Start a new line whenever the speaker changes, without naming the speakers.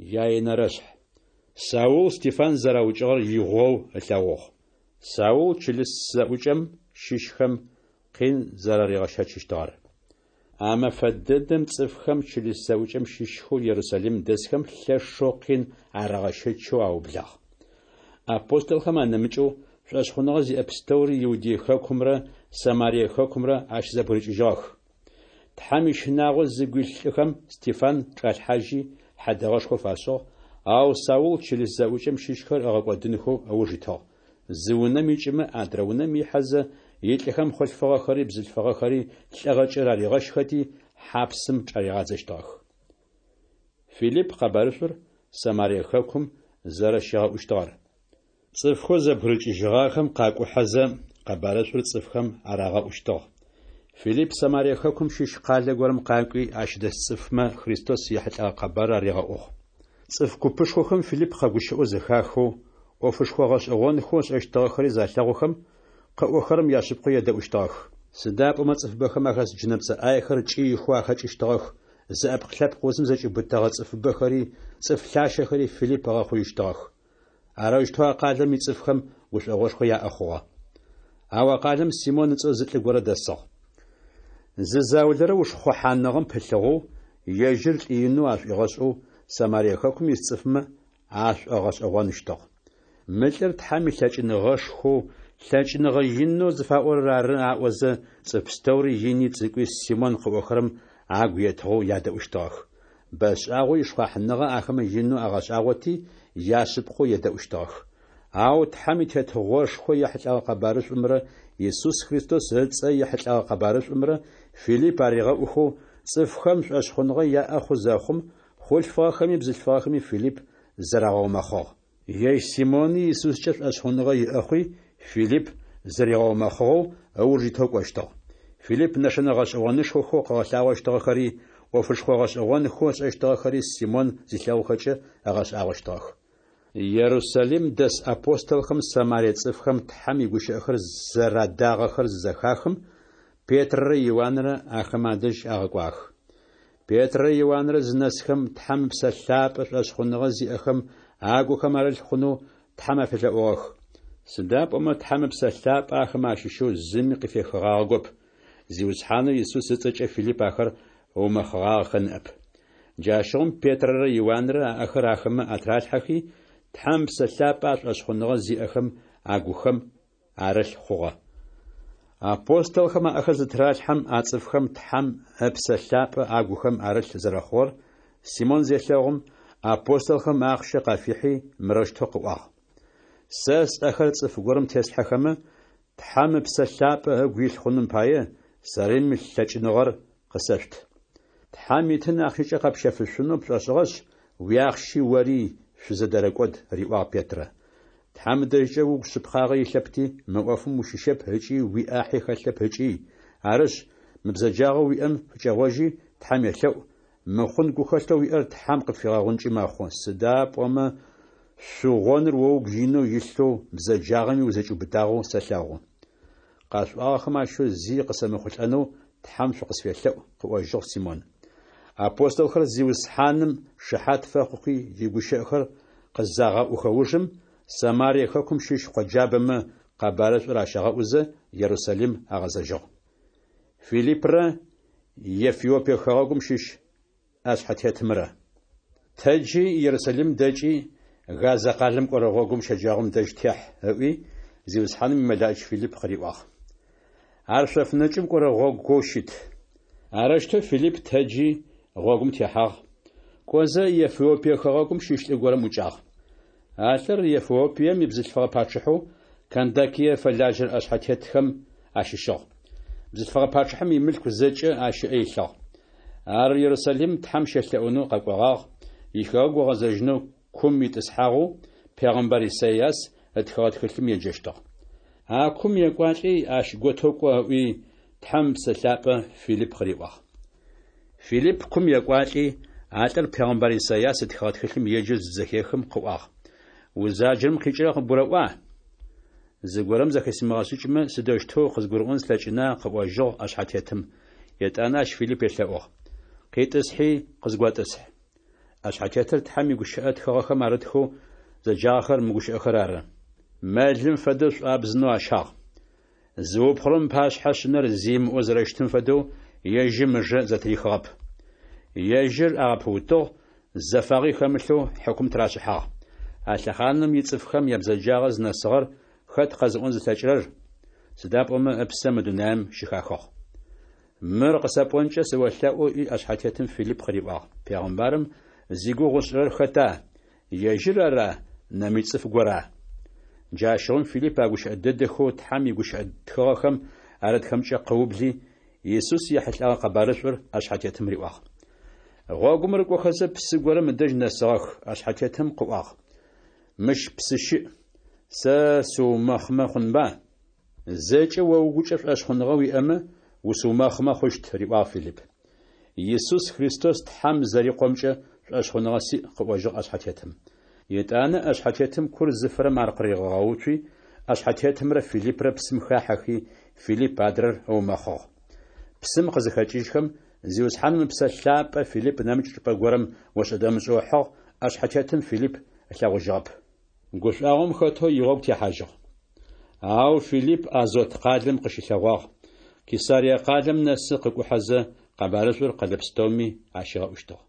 Яенэрэшъхь. Саул Стефан зэраукӏыгъэр игъоу ылъэгъугъ. Саул чылыс зэӏукӏэм щыщхэм къин зэраригъэщэчыщтыгъэр. А мэфэ дэдэм цӏыфхэм чылыс зэӏукӏэм щыщхэу Ерусалим дэсхэм лъэшэу къин арагъэщэчэу аублагъ. Апостолхэм анэмыкӏэу, шӏошъхъуныгъэ зиӏэ пстэури Иудей хэкумрэ Самарие хэкумрэ ащызэбгырыкӏыжьыгъэх. Тхьэм ищынагъо зыгу илъ лӏыхэм Стефан чӏалъхьажьи, хьэдэгъэшхо фашӏыгъ, ау Саул чылыс зэӏукӏэм щыщхэр ыгъэкӏодынхэу ыуж итыгъ. Зы унэм икӏымэ, адрэ унэм ихьэзэ, илӏыхэм хъулъфыгъэхэри бзылъфыгъэхэри лӏыгъэкӏэ раригъэщхэти, хьапсым чӏаригъадзэщтыгъэх. Филипп къэбарышӏур Самарие хэкум зэрэщигъэӏущтыгъэр. Цӏыфхэу зэбгырыкӏыжьыгъахэм къакӏухьэзэ, къэбарышӏур цӏыфхэм арагъэӏущтыгъ. Филипп Самарие хэкум щыщ къалэ горэм къакӏуи, ащ дэс цӏыфмэ Христос ехьылӏэгъэ къэбарыр аригъэӏугъ. Цӏыф купышхохэм Филипп къэгущыӏэу зэхахэу, ӏофышхо гъэшӏэгъонхэу ышӏэщтыгъэхэри залъэгъухэм, къыӏохэрэм яшъыпкъэу едэӏущтыгъэх. Сыда пӏомэ цӏыфыбэхэм ахэс джынэпцӏэ ӏаехэр кӏыихэу ахэкӏыщтыгъэх, зыӏэпкъ-лъэпкъ узым зэкӏиубытэгъэ цӏыфыбэхэри, цӏыф лъащэхэри Филипп ыгъэхъуищтыгъэх. Арэущтэу а къалэм ицӏыфхэм гушӏогъошхо яӏэ хъугъэ. Ау а къалэм Симон ыцӏэу зы лӏы горэ дэсыгъ. Зы заулэрэ ушхъухьаныгъэм пылъыгъэу, ежьыр лӏы инэу ашӏуигъэшӏэу Самарие хэкум ис цӏыфмэ ашӏогъэшӏэгъоныщтыгъ. Мы лӏыр Тхьэм илъэкӏыныгъэшхоу, лъэкӏыныгъэ инэу зыфаӏорэр ары аӏозэ, цӏыф пстэури ини цӏыкӏуи Симон къыӏохэрэм агу етыгъэу ядэӏущтыгъэх. Бэшӏагъэу ишхъуахьыныгъэ ахэмэ инэу агъэшӏагъоти, яшъыпкъэу едэӏущтыгъэх. Ау Тхьэм и Тетыгъошхо ехьылӏэгъэ къэбарышӏумрэ Исус Христос ыцӏэ ехьылӏэгъэ къэбарышӏумрэ Филипп аригъэӏухэу цӏыфхэм шӏошъхъуныгъэ яӏэ хъу зэхъум, хъулъфыгъэхэми бзылъфыгъэхэми Филипп зырагъэумэхъыгъ. Ежь Симони Исускӏэ шӏошъхъуныгъэ иӏэ хъуи, Филипп зыригъэумэхъыгъэу ыуж итэу кӏощтыгъ. Филипп нэшэнэ гъэшӏэгъонышхохэу къыгъэлъагъощтыгъэхэри, ӏофышхо гъэшӏэгъонхэу ышӏэщтыгъэхэри Симон зилъэгъухэкӏэ ыгъэшӏагъощтыгъэх. Ерусалим дэс апостолхэм Самарие цӏыфхэм Тхьэм игущыӏэхэр зэрадагъэхэр зызэхахым, Петрэрэ Иуанрэ ахэмэ адэжь агъэкӏуагъэх. Петрэрэ Иуанрэ зынэсхэм, Тхьэм Ыпсэ Лъапӏэ шӏошъхъуныгъэ зиӏэхэм агухэм арылъ хъунэу Тхьэм афелъэӏугъэх. Сыда пӏомэ Тхьэм Ыпсэ Лъапӏэ ахэмэ ащыщэу зыми къыфехыгъагъэгоп, Зиусхьанэу Исус ыцӏэкӏэ Филипп ахэр ыумэхъыгъагъэхэ ныӏэп. Джащыгъум Петрэрэ Иуанрэ аӏэхэр ахэмэ атралъхьэхи, Тхьэм Ыпсэ Лъапӏэ а шӏошъхъуныгъэ зиӏэхэм агухэм арылъ хъугъэ. Апостолхэм аӏэхэр зытыралъхьэм а цӏыфхэм Тхьэм Ыпсэ Лъапӏэ агухэм арылъ зэрэхъугъэр Симон зелъэгъум, апостолхэм ахъщэ къафихьи, мырэущтэу къыӏуагъ: Сэ сӏэхэр цӏыф горэм теслъхьэхэмэ, Тхьэм Ыпсэ Лъапӏэ ыгу илъ хъуным пае, сэри мы лъэкӏыныгъэр къысэшъут. Тхьэм итын ахъщэкӏэ къэпщэфышъунэу пшӏошӏыгъэшъ, уиахъщи ори шъузэдэрэкӏод, риӏуагъ Петрэ. Тхьэм ыдэжькӏэ угу шъыпкъагъэ илъэпти, мы ӏофым ущыщэп ыкӏи уиӏахьи хэлъэп ыкӏи, арышъ, мы бзэджагъэу уиӏэм фыкӏэгъожьи, Тхьэм елъэӏу, мыхъун гухэлъэу уиӏэр Тхьэм къыпфигъэгъункӏи мэхъу, сыда пӏомэ шъугъоныр о угу инэу илъэу, бзэджагъэми узэкӏиубытагъэу сэлъэгъу. Къашъуӏуагъэхэм ащыщэу зи къысэмыхъулӏэнэу Тхьэм шъукъысфелъэӏу, къыӏожьыгъ Симон. Апостолхэр Зиусхьаным шыхьат фэхъухи, игущыӏэхэр къызагъэӏухэ ужым, Самарие хэкум щыщ къоджабэмэ къэбарышӏур ащагъэӏузэ, Ерусалим агъэзэжьыгъ. Филиппрэ Ефиопие хэгъэгум щыщ ӏэшъхьэтетымрэ. Тэджи, Ерусалим дэкӏи, Газэ къалэм кӏорэ гъогум щэджагъом дэжь техь, ыӏуи, Зиусхьаным имэлаӏич Филипп къыриӏуагъ. Ар шъоф нэкӏым кӏорэ гъогоу щыт. Арэущтэу Филипп тэджи, гъогум техьагъ. Кӏозэ, Ефиопие хэгъэгум щыщ лӏы горэм ӏукӏагъ. А лӏыр Ефиопием ибзылъфыгъэ пачъыхьэу Кандакие фэлажьэрэ ӏэшъхьэтетхэм ащыщыгъ. Бзылъфыгъэ пачъыхьэм имылъку зэкӏэ ащ ыӏэ илъыгъ. Ар Ерусалим Тхьэм щелъэӏунэу къэкӏогъагъ, ихэгъэгу ыгъэзэжьынэу кум итӏысхьагъэу пегъэмбар Исайас ытхыгъэ тхылъым еджэщтыгъ. А кум екӏуалӏи, ащ готэу кӏо, ыӏуи, Тхьэм Ыпсэ Лъапӏэ Филипп къыриӏуагъ. Филипп кум екӏуалӏи, а лӏыр пегъэмбар Исайас ытхыгъэ тхылъым еджэу зызэхехым къыӏуагъ: Узаджэрэм къикӏырэр къыбгурэӏуа? Зыгорэм зэхысимыгъэшӏыкӏмэ, сыдэущтэу къызгурыӏон слъэкӏына, къыӏожьыгъ ӏэшъхьэтетым. Етӏанэ ащ Филипп елъэӏугъ: Къитӏысхьи, къызготӏысхь. ӏэшъхьэтетыр Тхьэм игущыӏэ тхыгъэхэм арытхэу зэджагъэхэр мы гущыӏэхэр ары. Мэлым фэдэу шӏуабзынэу ащагъ. Зыупхъурэм ыпашъхьэ шъынэр зи ымыӏоу зэрэщытым фэдэу, ежьым ыжэ зэтырихыгъэп. Ежьыр агъэпыутыгъ, зэфагъи хэмылъэу хьыкум тырашӏыхьагъ. А лъэхъаным ицӏыфхэм ябзэджагъэ зынэсыгъэр хэт къэзыӏон зылъэкӏырэр? Сыда пӏомэ ыпсэ мы дунаим щыхахыгъ. Мыр къысэпӏонкӏэ сыолъэӏу, ыӏуи ӏэшъхьэтетым Филипп къыриӏуагъ, Пегъымбарым зигугъу ышӏырэр хэта, ежьыр ара, нэмыкӏ цӏыф гора? Джащыгъум Филипп а гущыӏэ дэдэхэу Тхьэм игущыӏэ тхыгъэхэм арытхэмкӏэ къыубли, Исус ехьылӏэгъэ къэбарышӏур ӏэшъхьэтетым риӏуагъ. Гъогум рыкӏохэзэ, псы горэм ыдэжь нэсыгъэх. ӏэшъхьэтетым къыӏуагъ: Мыщ псы щыӏ, сэ сыумэхъымэ хъунба? Зэкӏэ о угукӏэ шӏошъхъуныгъэ уиӏэмэ, усыумэхъымэ хъущт, риӏуагъ Филипп. Исус Христос Тхьэм зэриКъомкӏэ шӏошъхъуныгъэ сиӏ, къыӏожьыгъ ӏэшъхьэтетым. Етӏанэ ӏэшъхьэтетым кур зыфырэм ар къыригъэгъэуцуи, ӏэшъхьэтетымрэ Филиппрэ псым хахьэхи, Филипп адрэр ыумэхъыгъ. Псым къызыхэкӏыжьхэм, Зиусхьаным Ыпсэ Лъапӏэ Филипп нэмыкӏ чӏыпӏэ горэм ошӏэ-дэмышӏэу ыхьыгъ, ӏэшъхьэтетым Филипп ылъэгъужьыгъэп. Гушӏуагъом хэтэу игъогу техьажьыгъ. Ау Филипп Азот къалэм къыщылъэгъуагъ, Кесарие къалэм нэсы къыкӏухьэзэ, къэбарышӏур къэлэ пстэуми ащигъэӏущтыгъ.